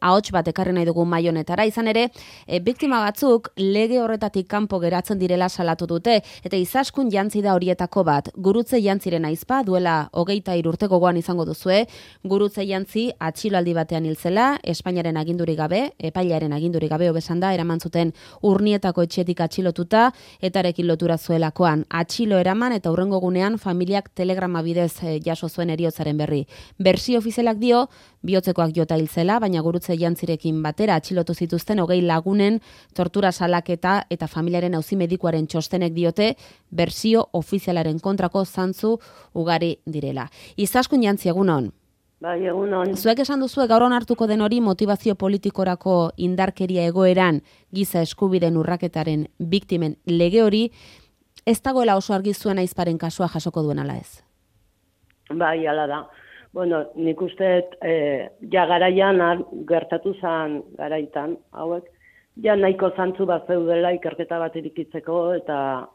ahots bat ekarri nahi dugu mahai honetara. Izan ere, biktima batzuk lege horretatik kanpo geratzen direla salatu dute, eta izaskun jantzi da horietako bat. Gurutze jantziren aizpa, duela 23 urte gogoan izango duzue, gurutze jantzi atxiloaldi batean hil zela, Espainiaren agindurik gabe, epailearen agindurik gabe hobesan da, eraman zuten Urnietako etxetik atxilotuta, etarekin lotura zuelakoan. Atxilo eraman eta hurrengo gunean familiak telegrama bidez jaso zuen heriotzaren berri. Bersio ofizialak dio, bihotzekoak jota hil zela, baina gurutze jantzirekin batera atxilotu zituzten 20 lagunen tortura salaketa eta familiaren auzi medikuaren txostenek diote bersio ofizialaren kontrako zantzu ugari direla. Izaskun jantzi, egunon. Bai, egunon. Zuek esan duzue gaur onartuko den hori motivazio politikorako indarkeria egoeran giza eskubideen urraketaren biktimen lege hori ez dagoela oso argi zuen aizparen kasua jasoko duen ala ez? Bai, ala da. Bueno, nik uste ja garaian gertatu zen garaitan, hauek, ja nahiko zantzu bat zeudela ikerketa bat irikitzeko eta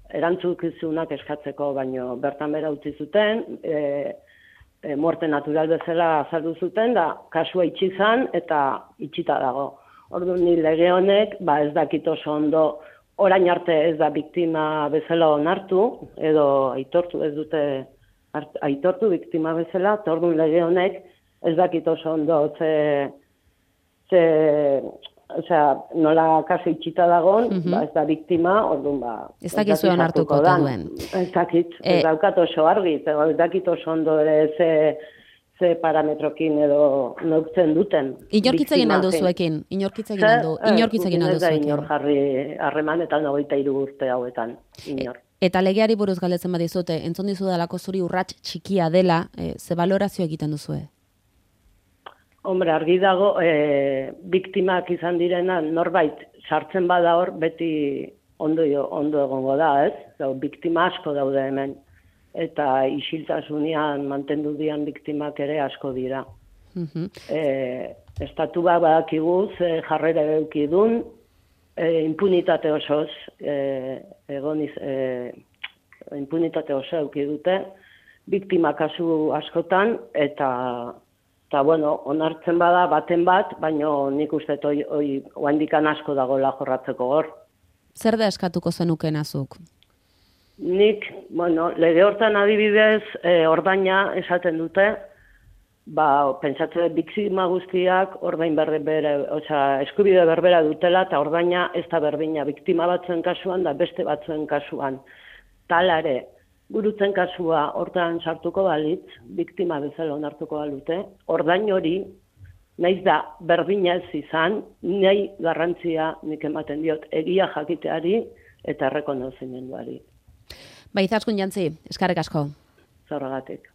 erantzukizunak eskatzeko, baino bertan bera utzi zuten, muerte natural bezala azaldu zuten, da kasua itxi zan eta itxita dago. Orduan ni lege honek, ez dakit oso ondo, orain arte ez da biktima bezala onartu, edo aitortu ez dute aitortu biktima bezala, eta orduan lege honek ez dakit oso ondo, nola kasu itxita dagon, ez da biktima, orduan ez dakit zuen hartuko duen. Ez dakit, ez daukat oso argi, ez dakit oso ondo ere ze parametrokin edo neuktzen duten. Inorkitzegin aldu zuekin? Inorkitzegin aldu zuekin? Ez da inor jarri harreman eta 23 urte hauetan, inor. Eta legeari buruz galdetzen badizute, entzun dizudalako zuri urrats txikia dela, ze balorazio egiten duzue? Hombre, argi dago, biktimak izan direna norbait sartzen bada hor, beti ondo egongo da, ez? Biktima asko daude hemen, eta isiltasunean mantendu dian biktimak ere asko dira. Estatuak badakigu jarrera eukidun, impunitate osoz, impunitate oso eukidute, biktima kasu askotan, eta bueno, onartzen bada baten bat, baino nik uste oaindikan asko dagoela jorratzeko hor. Zer da eskatuko zenuken azuk? Nik, bueno, lege hortan adibidez, ordaina esaten dute, pentsatzen biktima guztiak ordain eskubide berbera dutela, eta ordaina ez da berdina biktima batzuen kasuan, da beste batzuen kasuan. Talare, gurutzen kasua hortan sartuko balitz, biktima bezala onartuko balute, ordain hori, naiz da berdina ez izan, nahi garrantzia nik ematen diot egia jakiteari eta errekonozimenduari. Izaskun jantzi, eskerrik asko. Zorragatik.